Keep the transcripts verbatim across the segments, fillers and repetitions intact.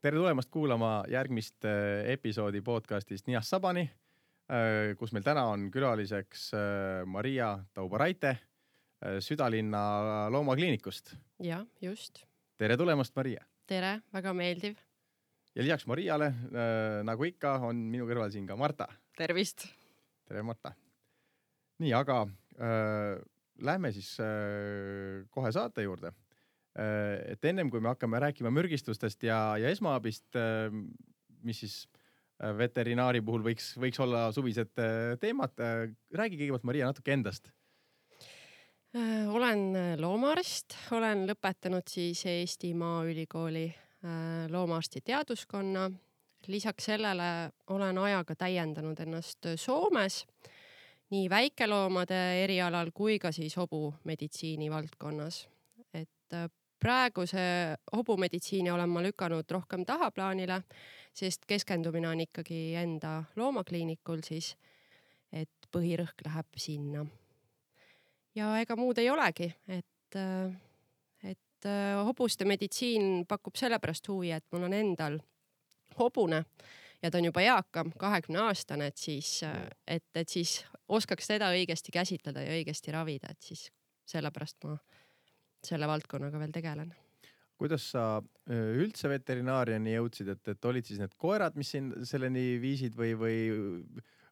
tere tulemast kuulama järgmist episoodi podcastist Nias Sabani, kus meil täna on külaliseks Maria Taubaraite Südalinna loomakliinikust. Ja, just. Tere tulemast, Maria. Tere, väga meeldiv. Ja lisaks Mariale, nagu ikka, on minu kõrval siin ka Marta. Tervist. Tere, Marta. Nii, aga äh, lähme siis äh, kohe saate juurde. Et ennem kui me hakkame rääkima mürgistustest ja, ja esmaabist, mis siis veterinaari puhul võiks, võiks olla suvised teemad, räägi kõigepealt, Maria, natuke endast. Olen loomaarst, olen lõpetanud siis Eesti Maaülikooli loomaarsti teaduskonna. Lisaks sellele olen ajaga täiendanud ennast Soomes nii väikeloomade erialal kui ka siis hobumeditsiini valdkonnas. Et praeguse hobumeditsiini olen ma lükanud rohkem tahaplaanile, sest keskendumine on ikkagi enda loomakliinikul siis, et põhirõhk läheb sinna. Ja ega muud ei olegi, et, et hobuste meditsiin pakub sellepärast huvi, et mul on endal hobune ja ta on juba eakam, kahekümne aastane, et siis, et, et siis oskaks teda õigesti käsitleda ja õigesti ravida, et siis sellepärast ma selle valdkonnaga veel tegelen. Kuidas sa üldse veterinaariani jõudsid, et, et olid siis need koerad, mis siin selleni viisid või, või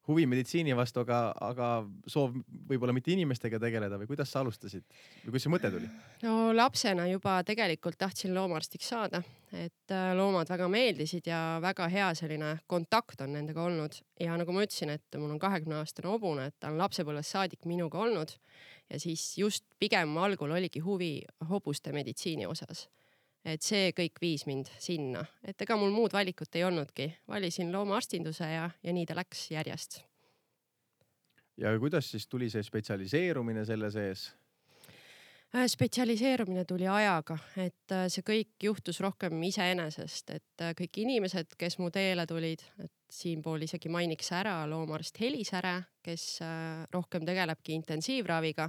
huvi meditsiini vastu, aga, aga soov võib-olla mitte inimestega tegeleda või kuidas sa alustasid? Või kus see mõte tuli? No lapsena juba tegelikult tahtsin loomaarstiks saada, et loomad väga meeldisid ja väga hea selline kontakt on nendega olnud. Ja nagu ma ütlesin, et mul on kahekümne aastane hobune, et ta on lapsepõlvest saadik minuga olnud ja siis just pigem algul oligi huvi hobuste meditsiini osas. Et see kõik viis mind sinna. Et ega mul muud valikut ei olnudki. Valisin loomaarstinduse ja, ja nii ta läks järjest. Ja kuidas siis tuli see spetsialiseerumine selle sees? Spetsialiseerumine tuli ajaga, et see kõik juhtus rohkem iseenesest, et kõik inimesed, kes mu teele tulid, et siinpool isegi mainiks ära loomaarst Helis Säre, kes rohkem tegelebki intensiivraviga.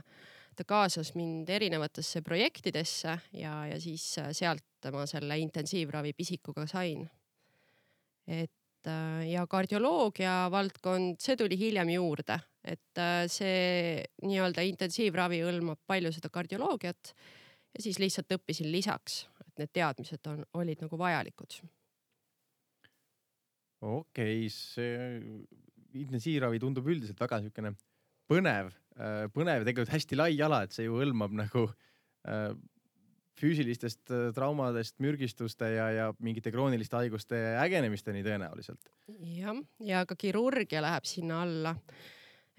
Ta kaasas mind erinevatesse projektidesse ja, ja siis sealt ma selle intensiivravi pisikuga sain. Et ja kardioloogia valdkond, see tuli hiljem juurde, et see nii-öelda intensiivravi hõlmab palju seda kardioloogiat ja siis lihtsalt õppisin lisaks, et need teadmised on, olid nagu vajalikud. Okei, see intensiivravi tundub üldiselt väga niisugune põnev, põnev tegelikult hästi lai ala, et see ju hõlmab nagu füüsilistest traumadest, mürgistuste ja, ja mingite krooniliste haiguste ägenemisteni tõenäoliselt. Ja, ja ka kirurgia läheb sinna alla.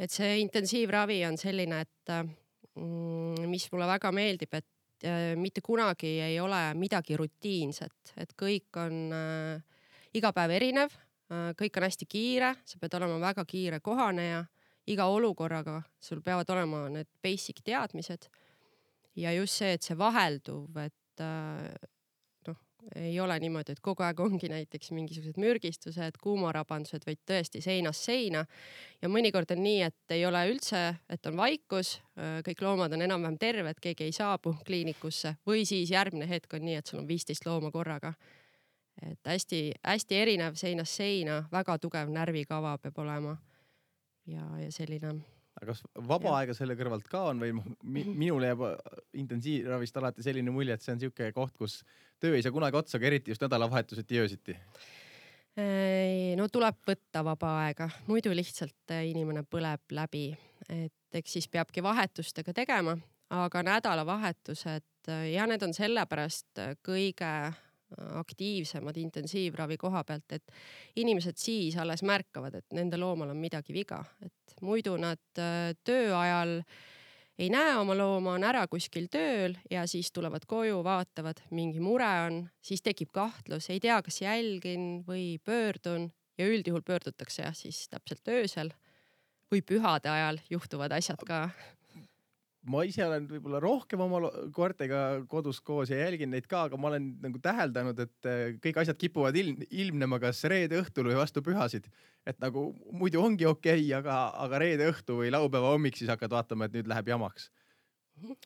Et see intensiivravi on selline, et mis mulle väga meeldib, et mitte kunagi ei ole midagi rutiinset, et kõik on iga päev erinev, kõik on hästi kiire, sa pead olema väga kiire kohaneja, iga olukorraga sul peavad olema need basic teadmised. Ja just see, et see vahelduv, et noh, ei ole niimoodi, et kogu aeg ongi näiteks mingisugused mürgistused, kuumarabandused, vaid tõesti seinast seina. Ja mõnikord on nii, et ei ole üldse, et on vaikus, kõik loomad on enam-vähem terved, keegi ei saabu kliinikusse või siis järgmine hetk on nii, et sul on viisteist looma korraga. Et hästi, hästi erinev seinast seina, väga tugev närvikava peab olema ja, ja selline... Aga kas vaba aega selle kõrvalt ka on või minule jääb intensiivravist alati selline mulje, et see on siuke koht, kus töö ei saa kunagi otsa, aga eriti just nädalavahetuseti jõusiti? No tuleb võtta vaba aega, muidu lihtsalt inimene põleb läbi, et eks siis peabki vahetustega tegema, aga nädalavahetused ja need on sellepärast kõige aktiivsemad intensiivravi koha pealt, et inimesed siis alles märkavad, et nende loomal on midagi viga, et muidu nad töö ajal ei näe oma looma, on ära kuskil tööl ja siis tulevad koju, vaatavad, mingi mure on, siis tekib kahtlus, ei tea, kas jälgin või pöördun ja üldjuhul pöördutakse ja siis täpselt öösel või pühade ajal juhtuvad asjad ka. Ma ise olen võib-olla rohkem oma koertega kodus koos ja jälgin neid ka, aga ma olen nagu täheldanud, et kõik asjad kipuvad ilm, ilmnema kas reede õhtul või vastu pühasid. Et nagu muidu ongi okei, aga, aga reede õhtu või laupäeva hommik siis hakkad vaatama, et nüüd läheb jamaks.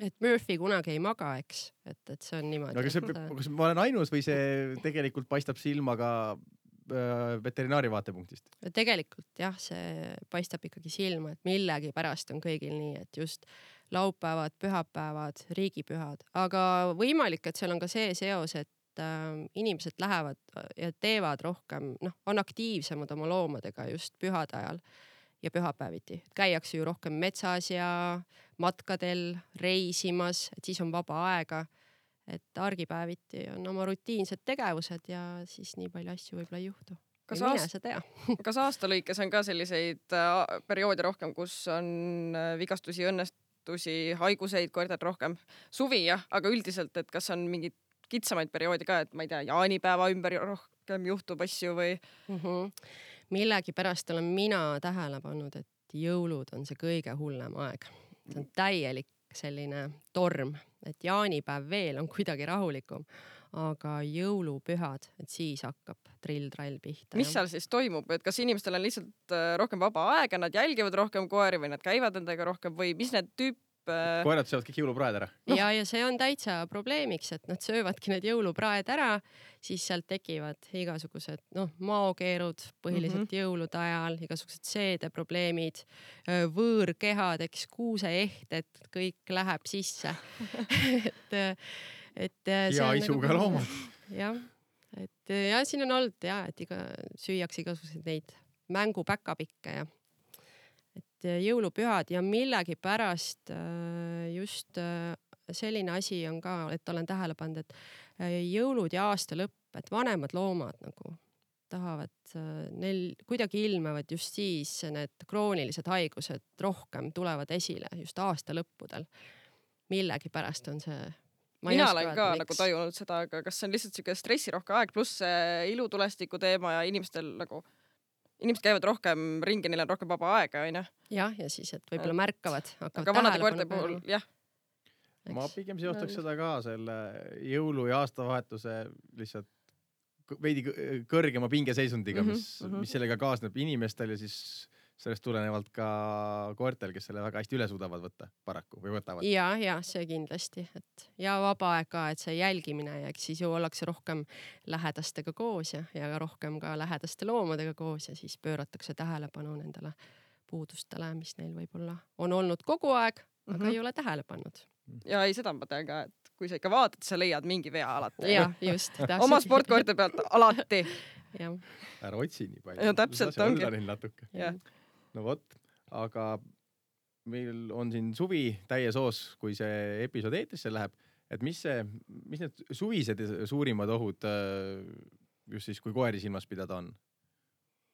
et Murphy kunagi ei maga, eks, et, et see on niimoodi. No, kas, see, kas ma olen ainus või see tegelikult paistab silma ka äh, veterinaari vaatepunktist? Tegelikult jah, see paistab ikkagi silma, et millegi pärast on kõigil nii, et just laupäevad, pühapäevad, riigipühad, aga võimalik, et seal on ka see seos, et äh, inimesed lähevad ja teevad rohkem, noh, on aktiivsemad oma loomadega just pühade ajal ja pühapäeviti. Käiakse ju rohkem metsas ja matkadel reisimas, et siis on vaba aega, et argipäeviti on oma rutiinsed tegevused ja siis nii palju asju võib-olla ei juhtu. Kas, ja aast... tea. kas aasta lõikes on ka selliseid perioode rohkem, kus on vigastusi, õnnestusi, haiguseid koertel rohkem? Suvi jah, aga üldiselt, et kas on mingid kitsamaid perioodi ka, et ma ei tea, jaanipäeva ümber rohkem juhtub asju või? Mm-hmm. Millegi pärast olen mina tähele pannud, et jõulud on see kõige hullem aeg. See on täielik selline torm, et jaanipäev veel on kuidagi rahulikum, aga jõulupühad, et siis hakkab trill-trall pihta. Mis seal siis toimub, et kas inimestel on lihtsalt rohkem vaba aega, nad jälgivad rohkem koeri või nad käivad nendega rohkem või mis need tüüp? Koerad söövad kõik jõulupraed ära. No. Ja, ja see on täitsa probleemiks, et nad söövadki need jõulupraed ära, siis sealt tekivad igasugused no, maokeerud põhiliselt mm-hmm. jõulude ajal, igasugused seedeprobleemid, võõrkehad, eks kuuseehted, kõik läheb sisse. et, et ja isuga nagu, loomad. Jah, et ja siin on olnud ja, et iga, süüakse igasuguseid neid mängupäkapikke ja et jõulupühad ja millegi pärast just selline asi on ka, et olen tähele pannud, et jõulud ja aasta lõpp, et vanemad loomad nagu tahavad, neil kuidagi ilmevad just siis need kroonilised haigused rohkem tulevad esile just aasta lõppudel. Millegi pärast on see. Mina olen ka miks. Nagu tajunud seda, aga kas see on lihtsalt siuke stressirohke aeg pluss ilutulestiku teema ja inimestel nagu Inimesed käivad rohkem ringi, neil on rohkem vaba aega, on ju? Jah, ja siis, et võib-olla märkavad. Aga vanade koerte puhul, jah. Ma pigem seostaks seda ka selle jõulu ja aastavahetuse lihtsalt veidi kõrgema pingeseisundiga, mis, mm-hmm. mis sellega kaasneb inimestel ja siis sellest tulenevalt ka koertel, kes selle väga hästi üle suudavad võtta paraku või võtavad. Ja, ja see kindlasti. Et ja vaba aeg ka, et see jälgimine ja siis ju ollakse rohkem lähedastega koos ja, ja rohkem ka lähedaste loomadega koos ja siis pööratakse tähelepanu nendele puudustele, mis neil võib-olla on olnud kogu aeg, aga mm-hmm. ei ole tähele pannud. Ja ei, seda ma tean ka, et kui sa ikka vaatad, sa leiad mingi vea alati. Ja, just. Oma sportkoerte pealt alati. Ja. Ära otsi nii palju. Ja täpselt ongi. Ja. No vot, aga meil on siin suvi täies oos, kui see episood eetrisse läheb, et mis see, mis need suvised suurimad ohud just siis, kui koeri silmas pidada on?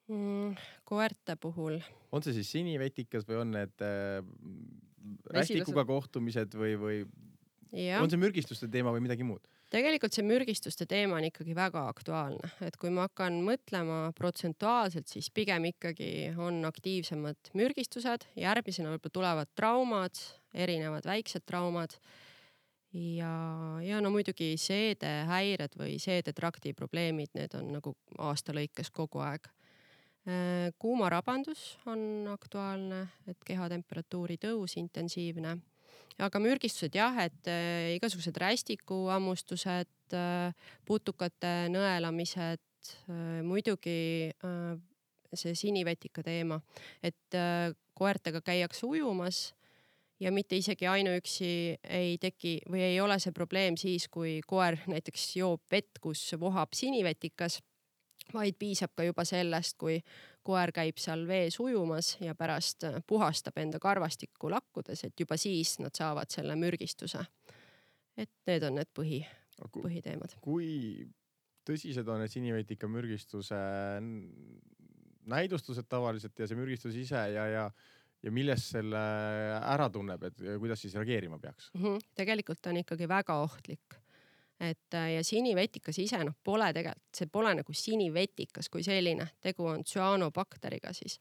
Mm, koerte puhul. On see siis sinivetikas või on need äh, rästikuga kohtumised või, või ja. On see mürgistuste teema või midagi muud? Tegelikult see mürgistuste teema on ikkagi väga aktuaalne, et kui ma hakkan mõtlema protsentuaalselt, siis pigem ikkagi on aktiivsemad mürgistused, järgmisena võib-olla tulevad traumad, erinevad väiksed traumad ja, ja no muidugi seedehäired või seedetrakti probleemid, need on nagu aasta lõikes kogu aeg. Kuumarabandus on aktuaalne, et kehatemperatuuri tõus intensiivne. Aga mürgistused jah, et äh, igasugused rästikuammustused, äh, putukate nõelamised, äh, muidugi äh, see sinivetika teema, et äh, koertega käiakse ujumas ja mitte isegi ainuüksi ei teki või ei ole see probleem siis, kui koer näiteks joob vett, kus vohab sinivetikas, vaid piisab ka juba sellest, kui koer käib seal vees ujumas ja pärast puhastab enda karvastikku lakkudes, et juba siis nad saavad selle mürgistuse. Et need on need põhi, põhiteemad. Kui tõsised on need sinivetika mürgistuse näidustused tavaliselt ja see mürgistus ise ja, ja, ja millest selle ära tunneb, et kuidas siis reageerima peaks? Mm-hmm. Tegelikult on ikkagi väga ohtlik. Et ja sinivetikas ise noh, pole tegelikult, see pole nagu sinivetikas kui selline, tegu on tsüanobakteriga siis.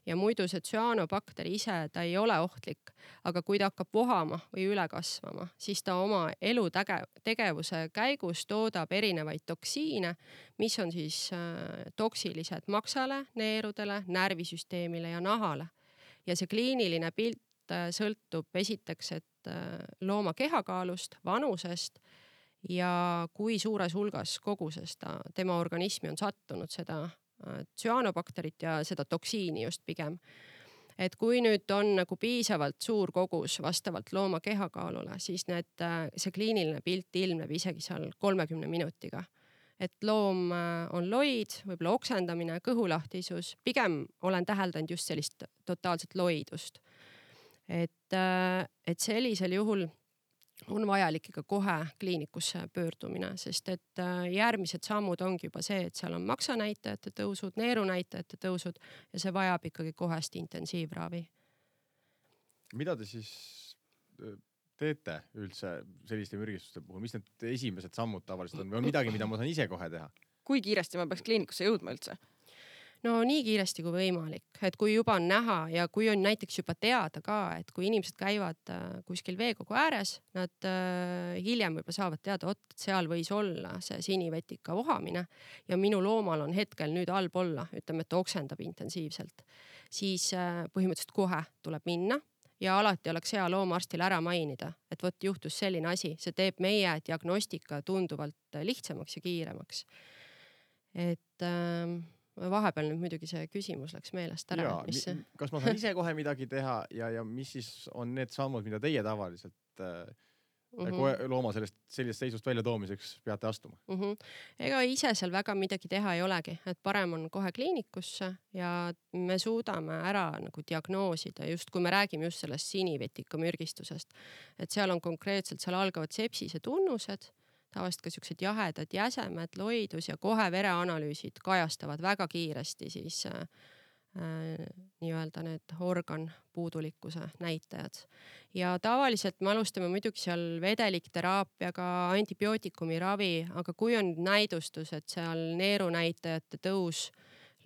Ja muidu see tsüanobakteri ise, ta ei ole ohtlik, aga kui ta hakkab vohama või üle kasvama, siis ta oma elutegevuse käigus toodab erinevaid toksiine, mis on siis äh, toksilised maksale, neerudele, närvisüsteemile ja nahale. Ja see kliiniline pilt äh, sõltub esiteks, et looma kehakaalust, vanusest ja kui suures hulgas koguses ta tema organismi on sattunud seda tsüanobakterit ja seda toksiini just pigem. Et kui nüüd on nagu piisavalt suur kogus vastavalt looma kehakaalule, siis need, see kliiniline pilt ilmneb isegi seal kolmekümne minutiga. Et loom on loid, võib-olla oksendamine, kõhulahtisus, pigem olen täheldanud just sellist totaalset loidust. Et, et sellisel juhul on vajalik ikka kohe kliinikusse pöördumine, sest et järgmised sammud ongi juba see, et seal on maksanäitajate tõusud, neerunäitajate tõusud ja see vajab ikkagi kohest intensiivravi. Mida te siis teete üldse selliste mürgistuste puhul? Mis need esimesed sammud tavaliselt on? Või on midagi, mida ma saan ise kohe teha? Kui kiiresti ma peaks kliinikusse jõudma üldse? No nii kiiresti kui võimalik, et kui juba on näha ja kui on näiteks juba teada ka, et kui inimesed käivad kuskil veekogu ääres, nad hiljem võib-olla saavad teada, et seal võis olla see sinivetika vohamine ja minu loomal on hetkel nüüd halb olla, ütleme, et oksendab intensiivselt, siis põhimõtteliselt kohe tuleb minna ja alati oleks hea loomarstil ära mainida, et võt juhtus selline asi, see teeb meie diagnostika tunduvalt lihtsamaks ja kiiremaks. Et äh, vahepeal nüüd muidugi see küsimus läks meelest ära. Ja, mis... Kas ma saan ise kohe midagi teha ja, ja mis siis on need sammud, mida teie tavaliselt äh, mm -hmm. looma sellest, sellisest seisust välja toomiseks peate astuma? Mm -hmm. Ega ise seal väga midagi teha ei olegi, et parem on kohe kliinikusse ja me suudame ära nagu diagnoosida, just kui me räägime just sellest sinivetika mürgistusest, et seal on konkreetselt, seal algavad sepsise tunnused, tavaliselt ka siuksed jahedad jäsemed, loidus ja kohe vereanalüüsid kajastavad väga kiiresti siis äh, nii-öelda need organ puudulikkuse näitajad. Ja tavaliselt me alustame muidugi seal vedelikterapiaga, antibiootikumi ravi, aga kui on näidustus, et seal neerunäitajate tõus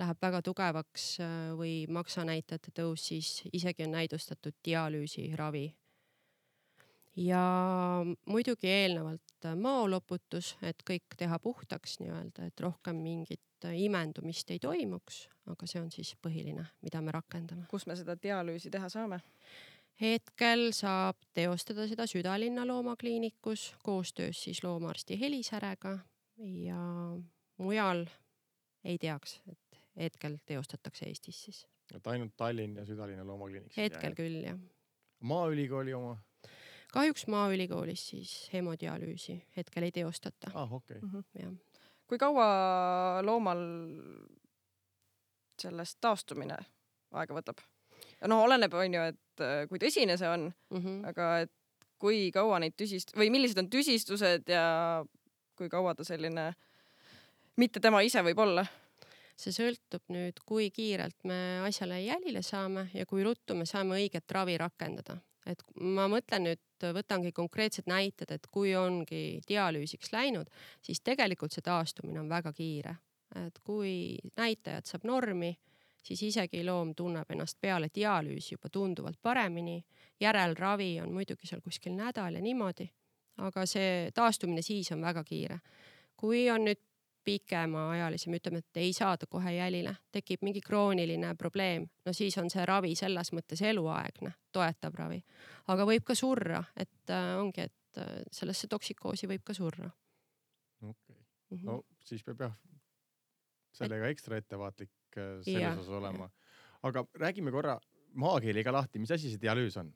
läheb väga tugevaks või maksanäitajate tõus, siis isegi on näidustatud dialüüsi ravi. Ja muidugi eelnevalt maoloputus, et kõik teha puhtaks nii-öelda, et rohkem mingit imendumist ei toimuks, aga see on siis põhiline, mida me rakendame. Kus me seda dialüüsi teha saame? Hetkel saab teostada seda Südalinna loomakliinikus, koostöös siis loomaarsti Helisärega ja mujal ei teaks, et hetkel teostatakse Eestis siis. Et ainult Tallinn ja Südalinna loomakliiniks? Hetkel küll, jah. Maaülikooli oma? Kahjuks Maaülikoolis siis hemodialüüsi hetkel ei teostata. Ah, okei. Okay. Mm-hmm, jah. Kui kaua loomal sellest taastumine aega võtab? No oleneb on ju, et kui tõsine see on, mm-hmm. aga et kui kaua neid tüsist- või millised on tüsistused ja kui kaua ta selline mitte tema ise võib olla? See sõltub nüüd, kui kiirelt me asjale jälile saame ja kui ruttu me saame õiget ravi rakendada. Et ma mõtlen nüüd, võtangi konkreetsed näited, et kui ongi dialüüsiks läinud, siis tegelikult see taastumine on väga kiire. Et kui näitajad saab normi, siis isegi loom tunneb ennast peale dialüüsi juba tunduvalt paremini. Järelravi on muidugi seal kuskil nädal ja niimoodi, aga see taastumine siis on väga kiire. Kui on nüüd pikema ajalisi, me ütleme, et ei saada kohe jälile, tekib mingi krooniline probleem, no siis on see ravi selles mõttes eluaegne, toetav ravi. Aga võib ka surra, et äh, ongi, et äh, sellesse toksikoosi võib ka surra. Okay. Mm-hmm. No siis peab jah sellega ekstra ettevaatlik selles ja, osas olema. Aga räägime korra maakeeliga lahti, mis asi see dialüüs on?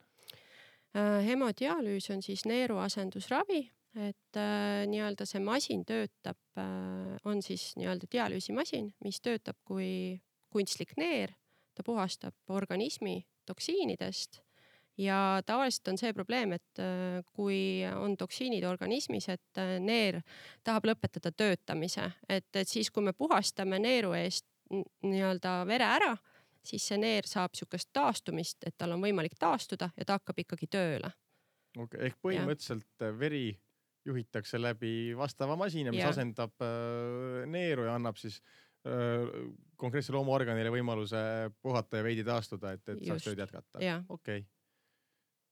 Äh, hemodialüüs on siis neeruasendusravi. Et äh, nii-öelda see masin töötab, äh, on siis nii-öelda dialüüsimasin, mis töötab kui kunstlik neer, ta puhastab organismi toksiinidest ja tavaliselt on see probleem, et äh, kui on toksiinid organismis, et äh, neer tahab lõpetada töötamise, et, et siis kui me puhastame neeru eest nii-öelda vere ära, siis see neer saab sükest taastumist, et tal on võimalik taastuda ja ta hakkab ikkagi tööle. Okay, ehk põhimõtteliselt ja. Veri juhitakse läbi vastava masina, mis ja. asendab äh, neeru ja annab siis äh, konkreetse loomaorganile võimaluse puhata ja veidi taastuda, et, et saaks tööd jätkata. Okei. Okay.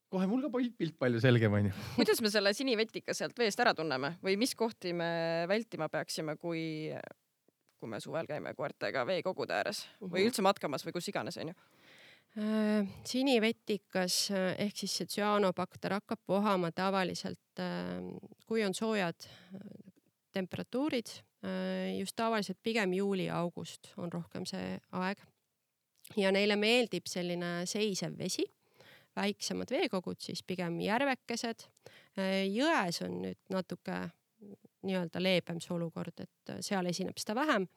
Kohe mul ka pilt palju selgem on ju. Kuidas me selle sinivetika sealt veest ära tunneme või mis kohti me vältima peaksime, kui, kui me suvel käime koertega veekogude ääres või üldse matkamas või kus iganes on ju? Sinivetikas ehk siis see tsüanobakter hakkab vohama tavaliselt, kui on soojad temperatuurid, just tavaliselt pigem juuli-august on rohkem see aeg. Ja neile meeldib selline seisev vesi, väiksemad veekogud, siis pigem järvekesed. Jões on nüüd natuke nii-öelda leebem see olukord, et seal esineb seda vähem.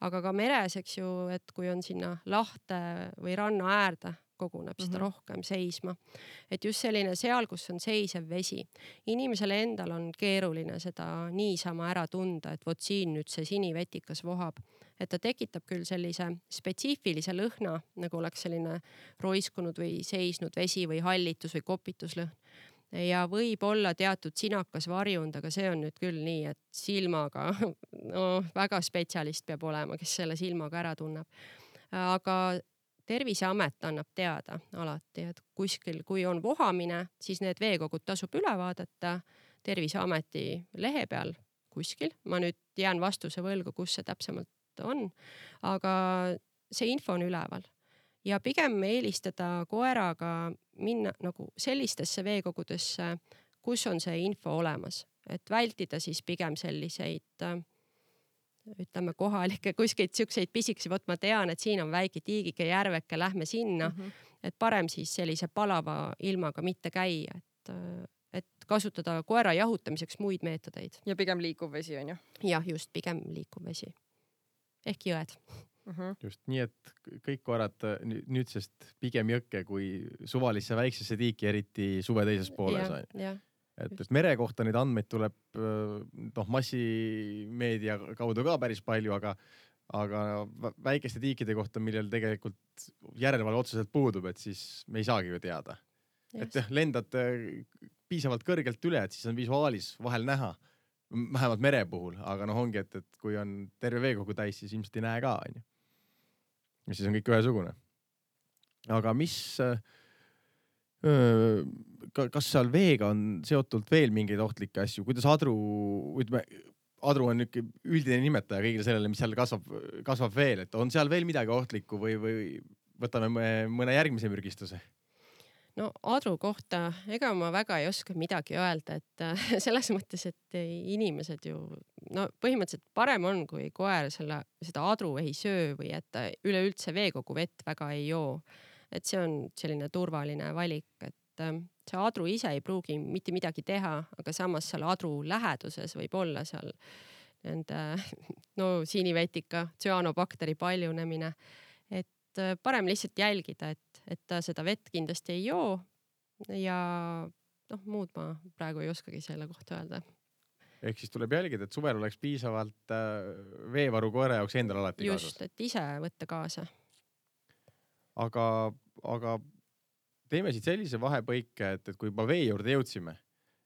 Aga ka meres, eks ju, et kui on sinna lahte või ranna äärde, koguneb seda mm-hmm. rohkem seisma. Et just selline seal, kus on seisev vesi. Inimesele endal on keeruline seda niisama ära tunda, et vot siin nüüd see sinivetikas vohab. Et ta tekitab küll sellise spetsiifilise lõhna, nagu oleks selline roiskunud või seisnud vesi või hallitus või kopituslõhn. Ja võib olla teatud sinakas varjund, aga see on nüüd küll nii, et silmaga, no väga spetsialist peab olema, kes selle silmaga ära tunneb. Aga Terviseamet annab teada alati, et kuskil, kui on vohamine, siis need veekogud tasub üle vaadata Terviseameti lehe peal kuskil. Ma nüüd jään vastuse võlgu, kus see täpsemalt on, aga see info on üleval. Ja pigem eelistada koeraga minna nagu sellistesse veekogudesse, kus on see info olemas. Et vältida siis pigem selliseid, ütleme kohalikke kuskilt siukseid pisikesi, võt ma tean, et siin on väike tiigike järveke, lähme sinna. Mm-hmm. Et parem siis sellise palava ilmaga mitte käia, et, et kasutada koera jahutamiseks muid meetodeid. Ja pigem liikuv vesi on ju? Jah, just pigem liikuv vesi. Ehk jõed. Uh-huh. Just nii, et kõik koerad nüüdsest pigem jõkke kui suvalisse väiksesse tiiki, eriti suve teises pooles. Ja, et, et mere kohta neid andmeid tuleb noh, massimeedia kaudu ka päris palju, aga, aga väikeste tiikide kohta, millel tegelikult järelevalve otseselt puudub, et siis me ei saagi ju teada. Yes. Et jah, lendad piisavalt kõrgelt üle, et siis on visuaalis vahel näha. Vähemalt mere puhul, aga noh ongi, et, et kui on terve veekogu täis, siis ilmselt ei näe ka. On ju. Ja siis on kõik ühesugune. Aga mis, öö, kas seal veega on seotult veel mingeid ohtlikke asju? Kuidas adru, ütleme, adru on üks üldine nimetaja kõigile sellele, mis seal kasvab, kasvab veel, et on seal veel midagi ohtlikku või, või võtame mõne järgmise mürgistuse? No adru kohta, ega ma väga ei oska midagi öelda, et selles mõttes, et inimesed ju, no põhimõtteliselt parem on, kui koer selle, seda adru ei söö või et üleüldse veekogu vett väga ei joo. Et see on selline turvaline valik, et see adru ise ei pruugi mitte midagi teha, aga samas seal adru läheduses võib olla seal nende, no sinivetika, tsüanobakteri paljunemine, et parem lihtsalt jälgida, et, et ta seda vett kindlasti ei joo ja noh, muud ma praegu ei oskagi selle kohta öelda. Ehk siis tuleb jälgida, et suvel oleks piisavalt veevaru koera jaoks endal alati Just, kaasas. Just, et ise võtta kaasa. Aga, aga teeme siit sellise vahepõike, et, et kui juba vee juurde jõudsime,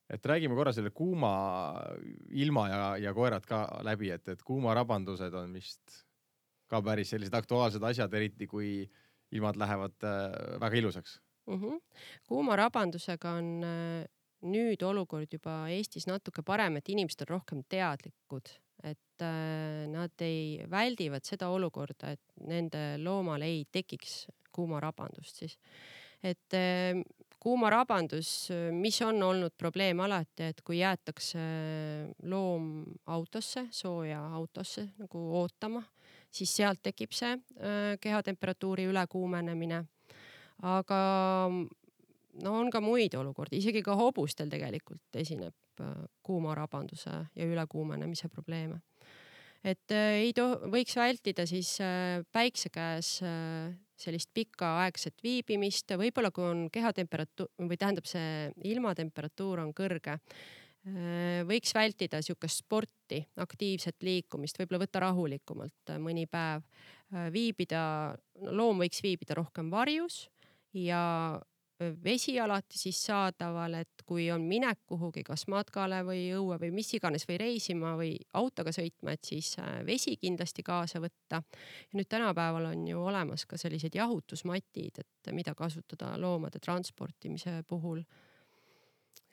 et räägime korra selle kuuma ilma ja, ja koerad ka läbi, et, et kuumarabandused on vist ka päris sellised aktuaalsed asjad, eriti kui ilmad lähevad väga ilusaks. Mm-hmm. Kuumarabandusega on nüüd olukord juba Eestis natuke parem, et inimesed on rohkem teadlikud, et nad ei väldivad seda olukorda, et nende loomal ei tekiks kuumarabandust siis. Et kuumarabandus, mis on olnud probleem alati, et kui jäetakse loom autosse, sooja autosse nagu ootama, siis sealt tekib see äh, kehatemperatuuri ülekuumenemine. Aga no on ka muid olukordi, isegi ka hobustel tegelikult esineb äh, kuumarabanduse ja ülekuumenemise probleeme. Et äh, ei to- võiks vältida siis äh, päikse käes äh, sellist pikaaegset viibimist, võib-olla kui on kehatemperatuur või tähendab see ilmatemperatuur on kõrge, võiks vältida siukest sporti, aktiivset liikumist, võib-olla võtta rahulikumalt mõni päev, viibida, loom võiks viibida rohkem varjus ja vesi alati siis saadaval, et kui on minek kuhugi, kas matkale või õue või mis iganes või reisima või autoga sõitma, et siis vesi kindlasti kaasa võtta. Ja nüüd tänapäeval on ju olemas ka sellised jahutusmatid, et mida kasutada loomade transportimise puhul.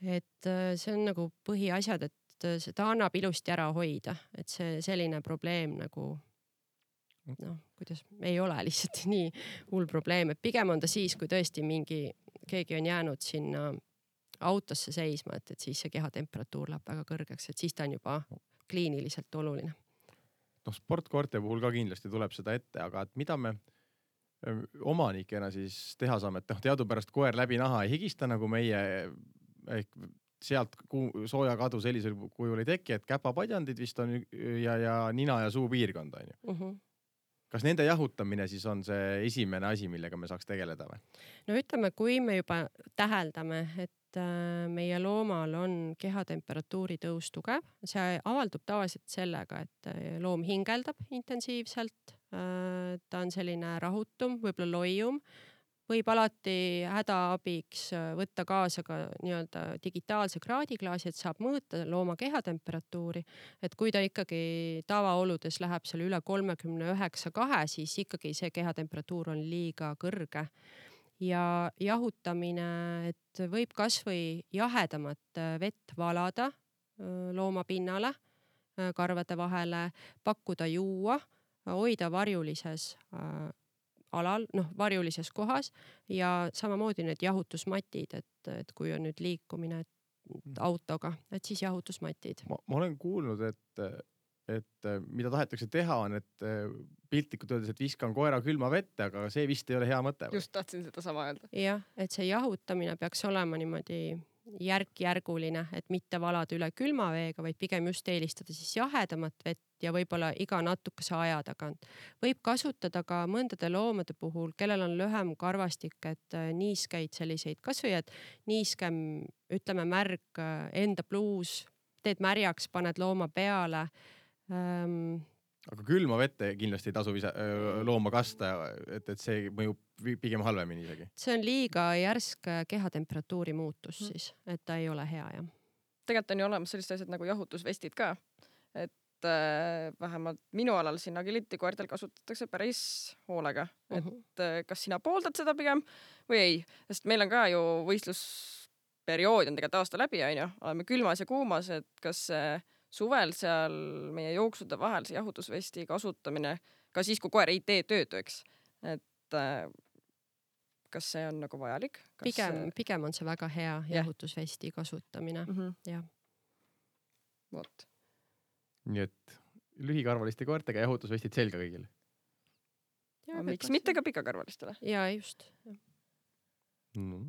Et see on nagu põhiasjad, et seda annab ilusti ära hoida, et see selline probleem nagu noh, kuidas ei ole lihtsalt nii hull probleem, et pigem on ta siis, kui tõesti mingi, keegi on jäänud sinna autosse seisma, et, et siis see kehatemperatuur läheb väga kõrgeks, et siis ta on juba kliiniliselt oluline. noh, sportkoerte puhul ka kindlasti tuleb seda ette, aga et mida me omanikena siis teha saame, et noh, teadupärast koer läbi naha ei higista nagu meie ehk sealt sooja kadu sellisel kujul ei teki, et käpapadjandid vist on ja, ja nina ja suu piirkond on ju. Uh -huh. Kas nende jahutamine siis on see esimene asi, millega me saaks tegeleda või? No ütleme, kui me juba täheldame, et meie loomal on kehatemperatuuri tõus tugev, see avaldub tavaliselt sellega, et loom hingeldab intensiivselt, ta on selline rahutum, võib-olla loium, võib alati hädaabiks võtta kaasa ka nii-öelda digitaalse kraadiklaasi, et saab mõõta looma kehatemperatuuri, et kui ta ikkagi tavaoludes läheb seal üle kolmekümne üheksa kahe, siis ikkagi see kehatemperatuur on liiga kõrge. Ja jahutamine, et võib kasvõi jahedamat vett valada looma pinnale, karvade vahele, pakkuda juua, hoida varjulises alal, noh, varjulises kohas ja samamoodi need jahutusmatid, et, et kui on nüüd liikumine autoga, et siis jahutusmatid. Ma, ma olen kuulnud, et, et mida tahetakse teha on, et piltlikult öeldes, et viskan koera külma vette, aga see vist ei ole hea mõte. Või? Just tahtsin seda sama öelda. Jah, et see jahutamine peaks olema niimoodi järk-järguline, et mitte valada üle külma veega, vaid pigem just eelistada siis jahedamat vett ja võib-olla iga natukese aja tagant. Võib kasutada ka mõndade loomade puhul, kellel on lühem karvastik, et niiskeid selliseid, kasvõi et niiskem, ütleme märg enda pluus, teed märjaks, paned looma peale. Ähm, aga külma vette kindlasti ei tasu ise, looma kasta, et, et see mõjub pigem halvemini isegi. See on liiga järsk kehatemperatuuri muutus siis, et ta ei ole hea, jah. Tegelikult on ju olemas sellised asjad nagu jahutusvestid ka, et äh, vähemalt minu alal siin agility koertel kasutatakse päris hoolega, et äh, kas sina pooldad seda pigem või ei, sest meil on ka ju võistlusperiood on tegelikult aasta läbi, on ju, oleme külmas ja kuumas, et kas äh, suvel seal meie jooksude vahel see jahutusvesti kasutamine, ka siis, kui koer ei tee tööd, eks, et äh, kas see on nagu vajalik? Kas... Pigem, pigem on see väga hea jahutusvesti kasutamine. Mm -hmm. jah. Vot. Nii et lühikarvaliste koertega jahutusvestid selga kõigile? Ja, miks mitte ka pikakarvalistele? Ja just. Ja, no,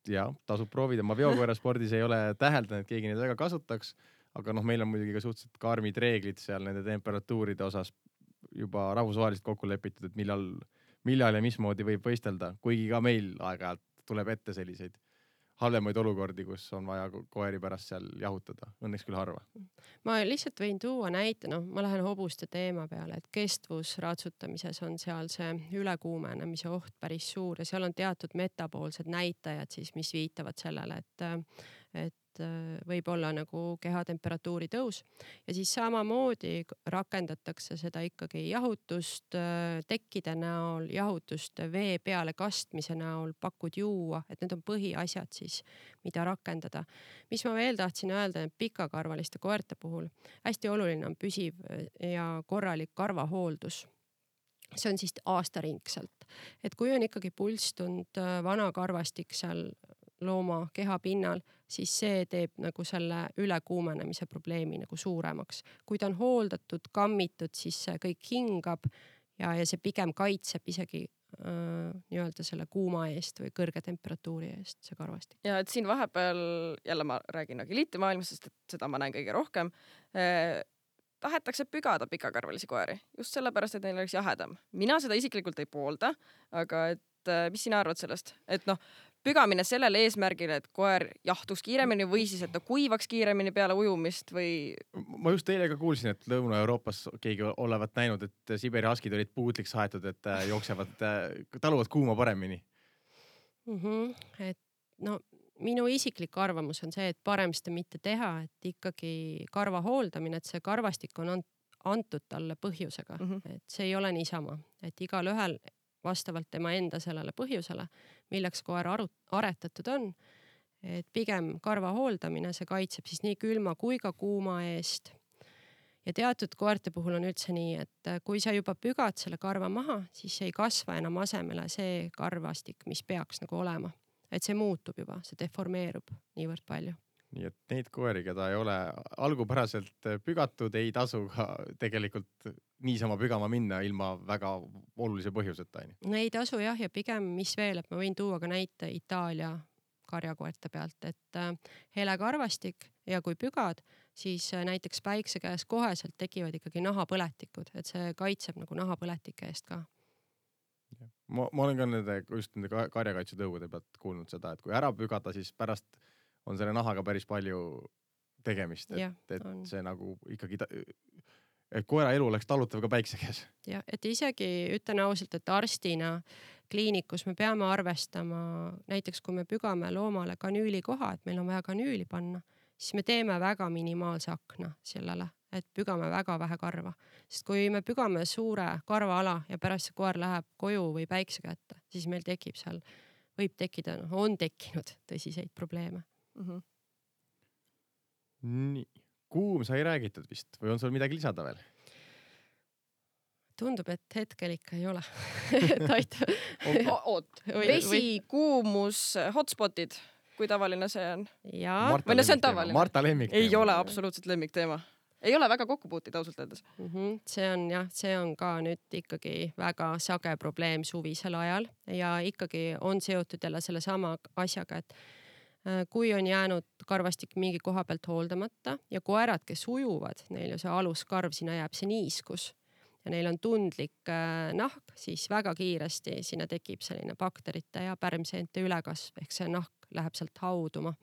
ja tasub proovida. Ma veokoera spordis ei ole täheldanud, et keegi neid väga kasutaks, aga noh, meil on muidugi ka suhteliselt karmid reeglid seal nende temperatuuride osas juba rahvusvaheliselt kokku lepitud, et millal millal ja mismoodi võib võistelda, kuigi ka meil aeg-ajalt tuleb ette selliseid halvemaid olukordi, kus on vaja koeri pärast seal jahutada. Õnneks küll harva. Ma lihtsalt võin tuua näite, noh, ma lähen hobuste teema peale, et kestvusratsutamises on seal see ülekuumenemise oht päris suur ja seal on teatud metaboolsed näitajad siis, mis viitavad sellele, et, et võib olla nagu kehatemperatuuri tõus ja siis samamoodi rakendatakse seda ikkagi jahutust tekkide näol, jahutust vee peale kastmise näol, pakud juua, et need on põhiasjad siis, mida rakendada. Mis ma veel tahtsin öelda, et pikakarvaliste koerte puhul hästi oluline on püsiv ja korralik karvahooldus. See on siis aastaringselt, et kui on ikkagi pulstund vana karvastik seal looma keha pinnal, siis see teeb nagu selle ülekuumenemise probleemi nagu suuremaks. Kui ta on hooldatud, kammitud, siis see kõik hingab ja, ja see pigem kaitseb isegi äh, nii-öelda selle kuuma eest või kõrge temperatuuri eest, see karvastik. Ja et siin vahepeal, jälle ma räägin agility maailmas, sest et seda ma näen kõige rohkem, eh, tahetakse pügada pikakarvalisi koeri. Just sellepärast, et neil oleks jahedam. Mina seda isiklikult ei poolda, aga et mis sina arvad sellest? Et noh, pügamine sellele eesmärgile, et koer jahtuks kiiremini või siis, et ta kuivaks kiiremini peale ujumist või... Ma just teile ka kuulsin, et Lõuna-Euroopas keegi olevat näinud, et Siberi haskid olid puutliks haetud, et jooksevad, taluvad kuuma paremini. Mm -hmm. Et no minu isiklik arvamus on see, et parem seda mitte teha, et ikkagi karva hooldamine, et see karvastik on antud talle põhjusega, mm -hmm. et see ei ole niisama, et igal ühel vastavalt tema enda sellele põhjusele, milleks koer aretatud on, et pigem karva hooldamine, see kaitseb siis nii külma kui ka kuuma eest. ja teatud koerte puhul on üldse nii, et kui sa juba pügad selle karva maha, siis ei kasva enam asemele see karvastik, mis peaks nagu olema. Et see muutub juba, see deformeerub niivõrd palju. Nii et neid koeri, keda ei ole algupäraselt pügatud, ei tasu ka tegelikult niisama pügama minna ilma väga olulise põhjuseta. No ei tasu jah, ja pigem mis veel, et ma võin tuua ka näite Itaalia karjakoerte pealt, et hele karvastik ja kui pügad, siis näiteks päikse käes koheselt tekivad ikkagi nahapõletikud, et see kaitseb nagu nahapõletike eest ka. Ma, ma olen ka nende, just nende karjakaitsetõugude pealt kuulnud seda, et kui ära pügada, siis pärast on selle nahaga päris palju tegemist, et, ja, et see nagu ikkagi, et koera elu oleks talutav ka päikse käes. Ja, et isegi ütlen ausalt, et arstina kliinikus me peame arvestama, näiteks kui me pügame loomale kanüüli koha, et meil on vaja kanüüli panna, siis me teeme väga minimaalse akna sellele, et pügame väga vähe karva. Sest kui me pügame suure karvaala ja pärast see koer läheb koju või päikse kätte, siis meil tekib seal, võib tekkida, no, on tekkinud tõsiseid probleeme. Mm-hmm. Nii, kuum sai räägitud vist või on sul midagi lisada veel? Tundub, et hetkel ikka ei ole. Oot, vesi, kuumus, hotspotid, kui tavaline see on? Jaa. Marta, no, see on tavaline. Marta lemmik ei ole absoluutselt lemmik teema. Ei ole väga kokkupuutid ausalt öeldes. Mm-hmm. See on jah, see on ka nüüd ikkagi väga sage probleem suvisel ajal ja ikkagi on seotud jälle selle sama asjaga, et kui on jäänud karvastik mingi koha pealt hooldamata ja koerad, kes ujuvad, neil ju see aluskarv, sinna jääb see niiskus ja neil on tundlik nahk, siis väga kiiresti sinna tekib selline bakterite ja pärmseente ülekasv, ehk see nahk läheb sealt hauduma.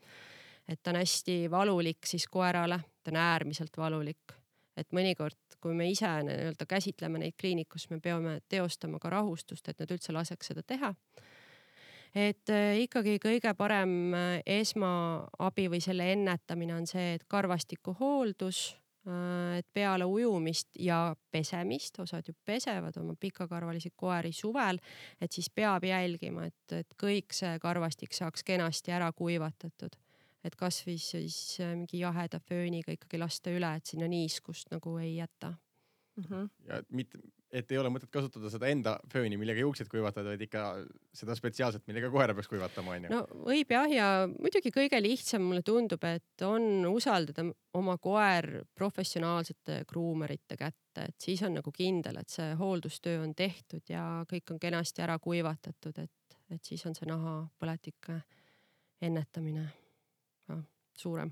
Et ta on hästi valulik siis koerale, ta on äärmiselt valulik. Et mõnikord, kui me ise nii-öelda käsitleme neid kliinikus, me peame teostama ka rahustust, et nad üldse laseks seda teha. Et ikkagi kõige parem esmaabi või selle ennetamine on see, et karvastiku hooldus, et peale ujumist ja pesemist, osad ju pesevad oma pikakarvalisi koeri suvel, et siis peab jälgima, et, et kõik see karvastik saaks kenasti ära kuivatatud. Et kas või siis mingi jaheda fööniga ikkagi lasta üle, et sinna niiskust nagu ei jäta. Mm-hmm. Ja mitte, et ei ole mõtet kasutada seda enda fööni, millega juuksed kuivatada, vaid ikka seda spetsiaalselt, millega koera peaks kuivatama. On ju? No võib jah, ja muidugi kõige lihtsam mulle tundub, et on usaldada oma koer professionaalsete kruumerite kätte, et siis on nagu kindel, et see hooldustöö on tehtud ja kõik on kenasti ära kuivatatud, et, et siis on see nahapõletike ennetamine ka suurem.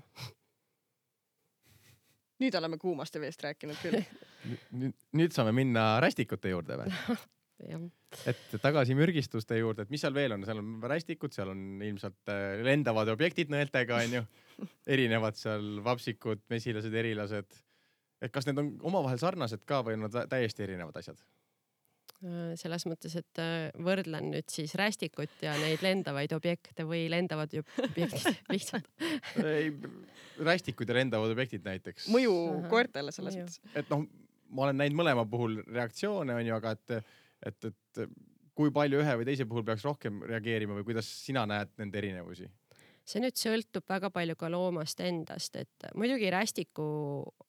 Nüüd oleme kuumast ja veest rääkinud küll. Nüüd, nüüd saame minna rästikute juurde või? Et tagasi mürgistuste juurde, et mis seal veel on? Seal on rästikud, seal on ilmselt lendavad objektid nõeltega, on ju. Erinevad seal vapsikud, mesilased, erilased. Et kas need on omavahel sarnased ka või on nad täiesti erinevad asjad? Selles mõttes, et võrdlen nüüd siis rästikut ja neid lendavaid objekte või lendavad objektid lihtsalt. Ei, rästikud ja lendavad objektid näiteks. Mõju koertele selles mõttes. Et noh, ma olen näinud mõlema puhul reaktsioone, on ju, aga et, et, et kui palju ühe või teise puhul peaks rohkem reageerima või kuidas sina näed nende erinevusi? See nüüd sõltub väga palju ka loomast endast, et muidugi rästiku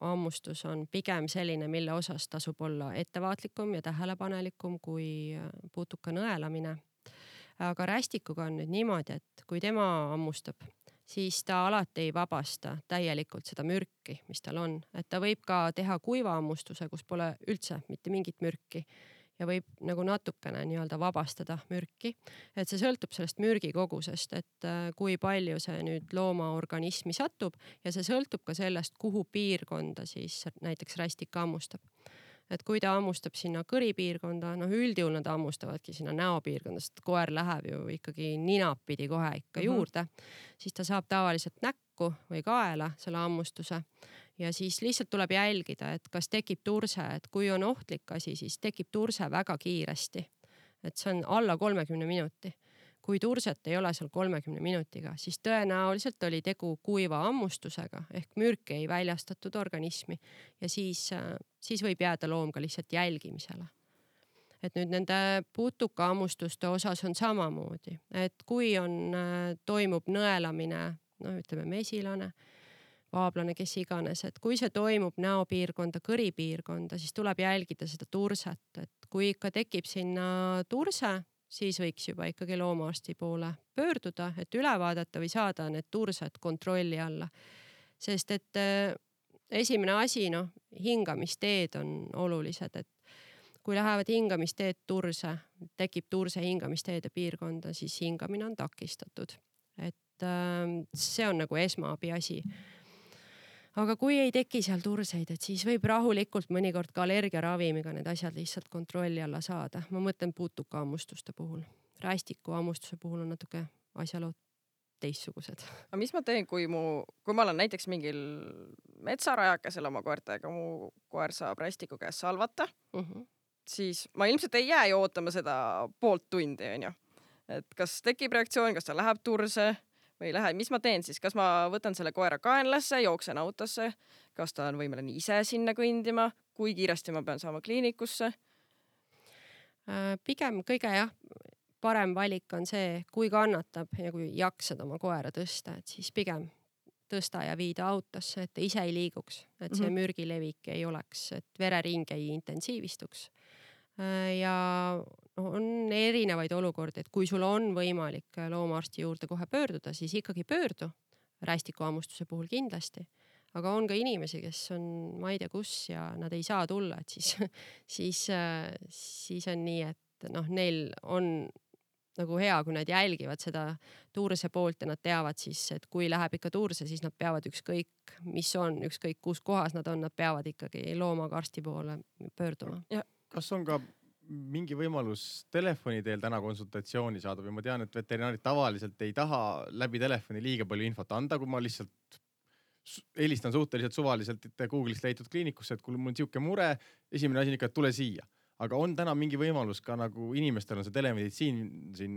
ammustus on pigem selline, mille osas tasub olla ettevaatlikum ja tähelepanelikum kui putuka nõelamine. Aga rästikuga on nüüd niimoodi, et kui tema ammustab, siis ta alati ei vabasta täielikult seda mürki, mis tal on. Et ta võib ka teha kuiva ammustuse, kus pole üldse mitte mingit mürki. Ja võib nagu natukene nii-öelda vabastada mürki. Et see sõltub sellest mürgi kogusest, et kui palju see nüüd looma organismi satub ja see sõltub ka sellest, kuhu piirkonda siis näiteks rästik ammustab. Et kui ta ammustab sinna kõripiirkonda, noh üldjuhul nad ammustavadki sinna näopiirkonda, sest koer läheb ju ikkagi ninapidi kohe ikka juurde, mm-hmm. siis ta saab tavaliselt näkku või kaela selle ammustuse. Ja siis lihtsalt tuleb jälgida, et kas tekib turse, et kui on ohtlik asi, siis tekib turse väga kiiresti. Et see on alla kolmekümne minuti. Kui turset ei ole seal kolmekümne minutiga, siis tõenäoliselt oli tegu kuiva ammustusega ehk mürki ei väljastatud organismi ja siis, siis võib jääda loom ka lihtsalt jälgimisele. Et nüüd nende putuka ammustuste osas on samamoodi, et kui on, toimub nõelamine, no ütleme mesilane, vaablane, kes iganes, et kui see toimub näopiirkonda, kõripiirkonda, siis tuleb jälgida seda turset, et kui ikka tekib sinna turse, siis võiks juba ikkagi loomaarsti poole pöörduda, et üle vaadata või saada need tursed kontrolli alla. Sest et esimene asi, noh, hingamisteed on olulised, et kui lähevad hingamisteed turse, tekib turse hingamisteede piirkonda, siis hingamine on takistatud. Et see on nagu esmaabi asi. Aga kui ei teki seal turseid, et siis võib rahulikult mõnikord ka allergiaravimiga need asjad lihtsalt kontrolli alla saada. Ma mõtlen putukaammustuste puhul. Rästiku ammustuse puhul on natuke asjalood teistsugused. Aga mis ma teen, kui, mu, kui ma olen näiteks mingil metsarajakesel oma koertega, mu koer saab rästiku käes salvata, uh-huh. siis ma ilmselt ei jää ju ootama seda poolt tundi, on ju. Et kas tekib reaktsioon, kas ta läheb turse või ei lähe, mis ma teen siis? Kas ma võtan selle koera kaenlasse, jooksen autosse, kas ta on võimeline ise sinna kõndima, kui kiiresti ma pean saama kliinikusse? Pigem kõige jah, parem valik on see, kui kannatab ja kui jaksad oma koera tõsta, et siis pigem tõsta ja viida autosse, et ta ise ei liiguks, et see mm-hmm. mürgilevik ei oleks, et verering ei intensiivistuks. Ja on erinevaid olukordi, et kui sul on võimalik loomaarsti juurde kohe pöörduda, siis ikkagi pöördu rästikuammustuse puhul kindlasti. Aga on ka inimesi, kes on ma ei tea kus ja nad ei saa tulla, et siis, siis, siis on nii, et noh, neil on nagu hea, kui nad jälgivad seda tuurse poolt ja nad teavad siis, et kui läheb ikka tuurse, siis nad peavad ükskõik, mis on, ükskõik kus kohas nad on, nad peavad ikkagi loomaga arsti poole pöörduma. Ja kas on ka mingi võimalus telefoni teel täna konsultatsiooni saada või ma tean, et veterinaarid tavaliselt ei taha läbi telefoni liiga palju infot anda, kui ma lihtsalt helistan suhteliselt suvaliselt Google'ist leitud kliinikusse, et kui mul on siuke mure, esimene asi on ikka, et tule siia. Aga on täna mingi võimalus ka nagu inimestel on see telemeditsiin siin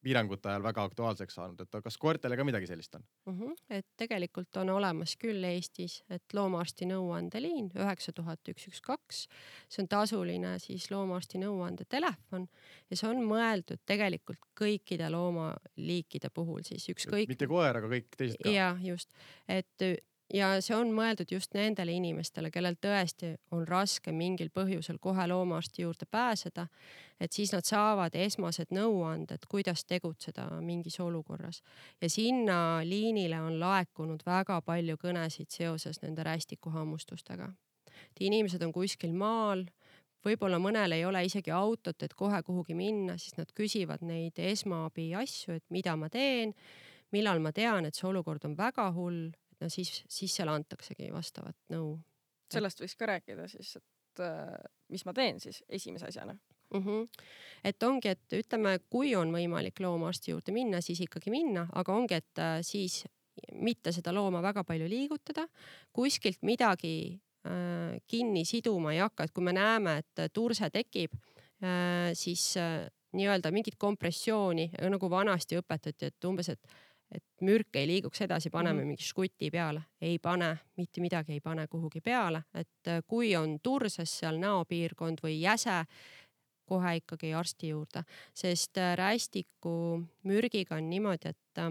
piirangute ajal väga aktuaalseks saanud, et kas koertele ka midagi sellist on? Uh-huh. Et tegelikult on olemas küll Eestis, et loomaarsti nõuandeliin üheksa tuhat üks üks kaks. See on tasuline siis loomaarsti nõuande telefon ja see on mõeldud tegelikult kõikide loomaliikide puhul siis ükskõik. Mitte koer, aga kõik teised ka. Ja just, et ja see on mõeldud just nendele inimestele, kellel tõesti on raske mingil põhjusel kohe loomaarsti juurde pääseda, et siis nad saavad esmased nõuanded, kuidas tegutseda mingis olukorras. Ja sinna liinile on laekunud väga palju kõnesid seoses nende rästikuhammustustega. Inimesed on kuskil maal, võib-olla mõnel ei ole isegi autot, et kohe kuhugi minna, siis nad küsivad neid esmaabi asju, et mida ma teen, millal ma tean, et see olukord on väga hull. No siis, siis seal antaksegi vastavat nõu. Sellest võiks ka rääkida siis, et äh, mis ma teen siis esimese asjana. Uh-huh. Et ongi, et ütleme, kui on võimalik loomaarsti juurde minna, siis ikkagi minna, aga ongi, et äh, siis mitte seda looma väga palju liigutada, kuskilt midagi äh, kinni siduma ei hakka, et kui me näeme, et turse tekib, äh, siis äh, nii-öelda mingit kompressiooni, nagu vanasti õpetati, et umbes, et et mürk ei liiguks edasi, paneme mm-hmm. mingi škuti peale. Ei pane, mitte midagi ei pane kuhugi peale. Et kui on turses seal näopiirkond või jäse, kohe ikkagi arsti juurde. Sest rästiku mürgiga on niimoodi, et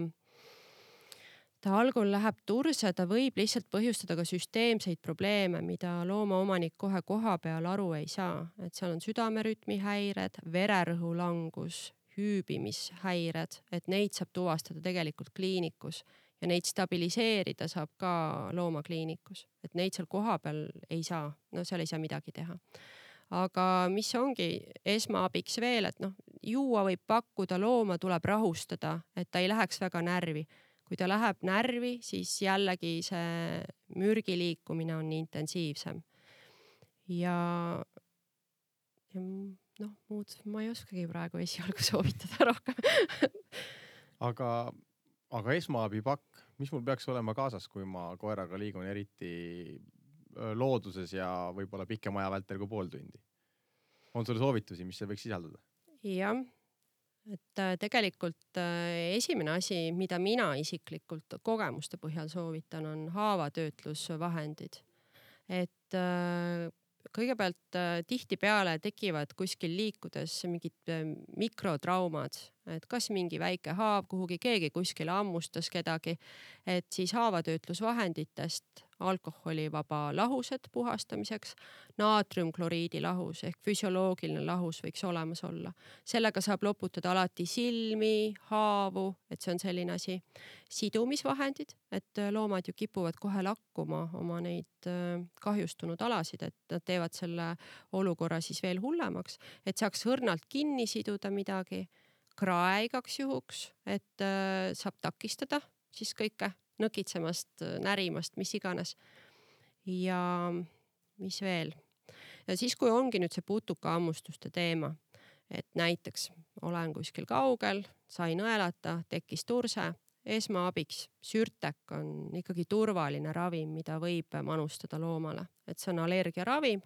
ta algul läheb turse, ta võib lihtsalt põhjustada ka süsteemseid probleeme, mida loomaomanik kohe koha peal aru ei saa. Et seal on südamerütmi häired, vererõhu langus, hüübimishäired, et neid saab tuvastada tegelikult kliinikus ja neid stabiliseerida saab ka loomakliinikus, et neid seal koha peal ei saa, no seal ei saa midagi teha. Aga mis ongi esmaabiks veel, et noh, juua võib pakkuda, looma tuleb rahustada, et ta ei läheks väga närvi. Kui ta läheb närvi, siis jällegi see mürgi liikumine on intensiivsem. Ja, ja noh, muud ma ei oskagi praegu esialgu soovitada rohkem. aga, aga esmaabipakk, mis mul peaks olema kaasas, kui ma koeraga liigun eriti looduses ja võib-olla pikema aja vältel kui pool tundi? On sul soovitusi, mis see võiks sisaldada? Jah, et tegelikult esimene asi, mida mina isiklikult kogemuste põhjal soovitan, on haavatöötlusvahendid. Et kõigepealt tihti peale tekivad kuskil liikudes mingid mikrotraumad, et kas mingi väike haav kuhugi, keegi kuskile ammustas kedagi, et siis haavatöötlusvahenditest alkoholivaba lahused puhastamiseks, naatriumkloriidi lahus ehk füsioloogiline lahus võiks olemas olla. Sellega saab loputada alati silmi, haavu, et see on selline asi. Sidumisvahendid, et loomad ju kipuvad kohe lakkuma oma neid kahjustunud alasid, et nad teevad selle olukorra siis veel hullemaks, et saaks õrnalt kinni siduda midagi, krae igaks juhuks, et saab takistada siis kõike nõkitsemast, närimast, mis iganes. Ja mis veel? Ja siis, kui ongi nüüd see putuka ammustuste teema, et näiteks olen kuskil kaugel, sain õelata, tekkis turse, esmaabiks sürtek on ikkagi turvaline ravim, mida võib manustada loomale. Et see on allergiaravim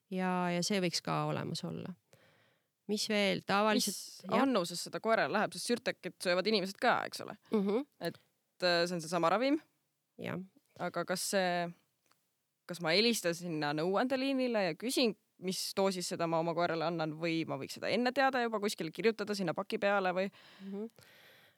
ja, ja see võiks ka olemas olla. Mis veel? Tavaliselt... Mis annuses seda koerale läheb, sest sürtekit söövad inimesed ka, eks ole? Uh -huh. Et see on see sama ravim. Ja. Aga kas see, kas ma helistan sinna nõuandeliinile ja küsin, mis doosis seda ma oma koerale annan või ma võiks seda enne teada juba kuskil kirjutada sinna paki peale või? Uh -huh.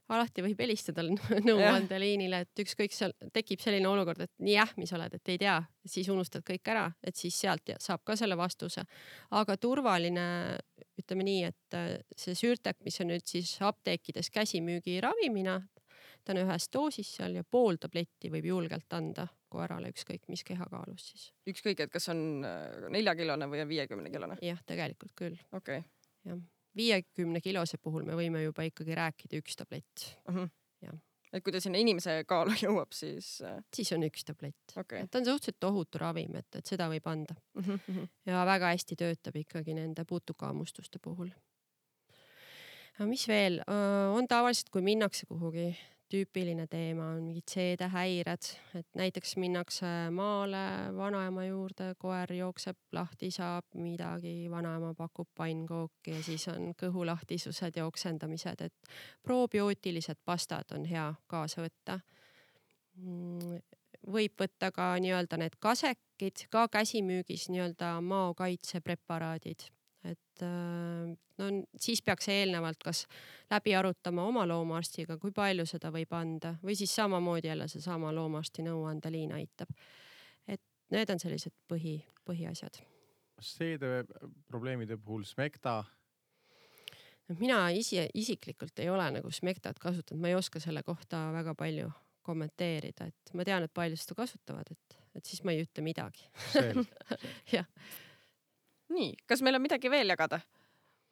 Alati võib helistada nõuandeliinile, et ükskõik seal tekib selline olukord, et nii ähmis oled, et ei tea, siis unustad kõik ära, et siis sealt saab ka selle vastuse. Aga turvaline, ütleme nii, et see sürtek, mis on nüüd siis apteekides käsimüügi ravimina, ta on ühes doosis seal ja pool tabletti võib julgelt anda koerale ükskõik mis kehakaalus siis. Ükskõik, et kas on neljakilone või viiekümne kilone? Jah, tegelikult küll. Okei. Okay. Jah. viiekümne kilose puhul me võime juba ikkagi rääkida üks tablett. Uh -huh. Ja. Et kui ta sinna inimese kaalu jõuab, siis... Siis on üks tablett. Okay. Et ta on suhteliselt ohutu ravim, et, et seda võib anda. Uh -huh. Ja väga hästi töötab ikkagi nende putukaammustuste puhul. Ja mis veel? On tavaliselt, kui minnakse kuhugi, tüüpiline teema on mingid seedehäired, et näiteks minnakse maale vanaema juurde, koer jookseb lahti, saab midagi, vanaema pakub pannkooki ja siis on kõhulahtisused ja oksendamised, et probiootilised pastad on hea kaasa võtta. Võib võtta ka nii-öelda need kasekid, ka käsimüügis nii-öelda maokaitsepreparaadid. Et no, siis peaks eelnevalt kas läbi arutama oma loomaarstiga, kui palju seda võib anda või siis samamoodi jälle see sama loomaarsti nõuandeliin aitab. Et need on sellised põhi, põhiasjad. Seede probleemide puhul Smecta? Mina isi, isiklikult ei ole nagu Smectat kasutanud, ma ei oska selle kohta väga palju kommenteerida, et ma tean, et palju seda kasutavad, et, et siis ma ei ütle midagi. Jah. Nii, kas meil on midagi veel jagada?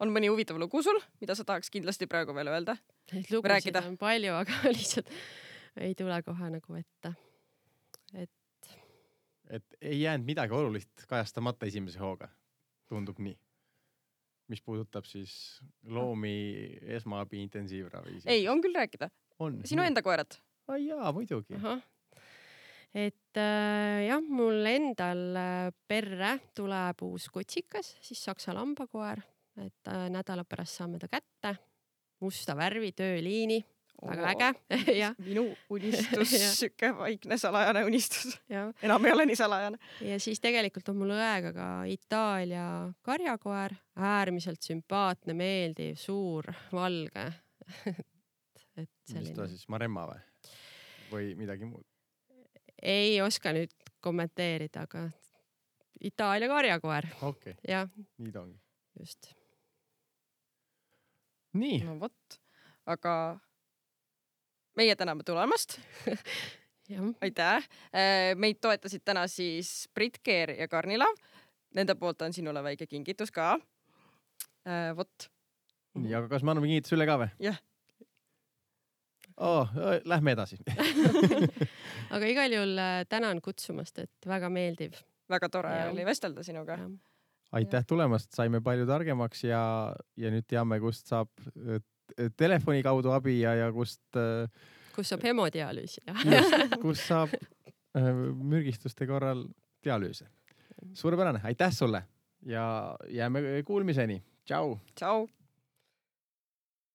On mõni huvitav lugu sul, mida sa tahaks kindlasti praegu veel öelda? Neid lugusid on palju, aga lihtsalt ei tule kohe nagu ette. Et... et ei jäänud midagi olulist kajastamata esimese hooga. Tundub nii. Mis puudutab siis loomi esmaabi intensiivravi. Ei, on küll rääkida. On. Sinu enda koerad? Ai jaa, muidugi. Aha. Et äh, jah, mul endal perre tuleb uus kutsikas, siis saksa lambakoer, et äh, nädala pärast saame ta kätte, musta värvi, tööliini, väga oh, äge. Ja. Minu unistus, süke vaikne salajane unistus. Ja. Enam ei ole nii salajane. Ja siis tegelikult on mul õega ka Itaalia karjakoer, äärmiselt sümpaatne, meeldiv, suur, valge. et selline... Mis ta siis, Maremma või? Või midagi muud? Ei oska nüüd kommenteerida, aga Itaalia karjakoer. Okei, okay. Nii ta ongi. Just. Nii. No vot, aga meie täname tulemast. Aitäh. Meid toetasid täna siis Brit Keer ja Karnilav. Nende poolt on sinule väike kingitus ka. Vot. Nii, aga kas me anname kingitus üle ka või? Jah. Oh, lähme edasi. Aga igal juhul tänan kutsumast, et väga meeldiv. Väga tore ja. Oli vestelda sinuga. Ja. Aitäh tulemast, saime palju targemaks ja, ja nüüd teame, kust saab telefoni kaudu abi ja, ja kust... Kus saab hemodialüüsi. Kus saab mürgistuste korral dialüüse. Suurepärane, aitäh sulle ja jääme kuulmiseni. Tšau! Tšau!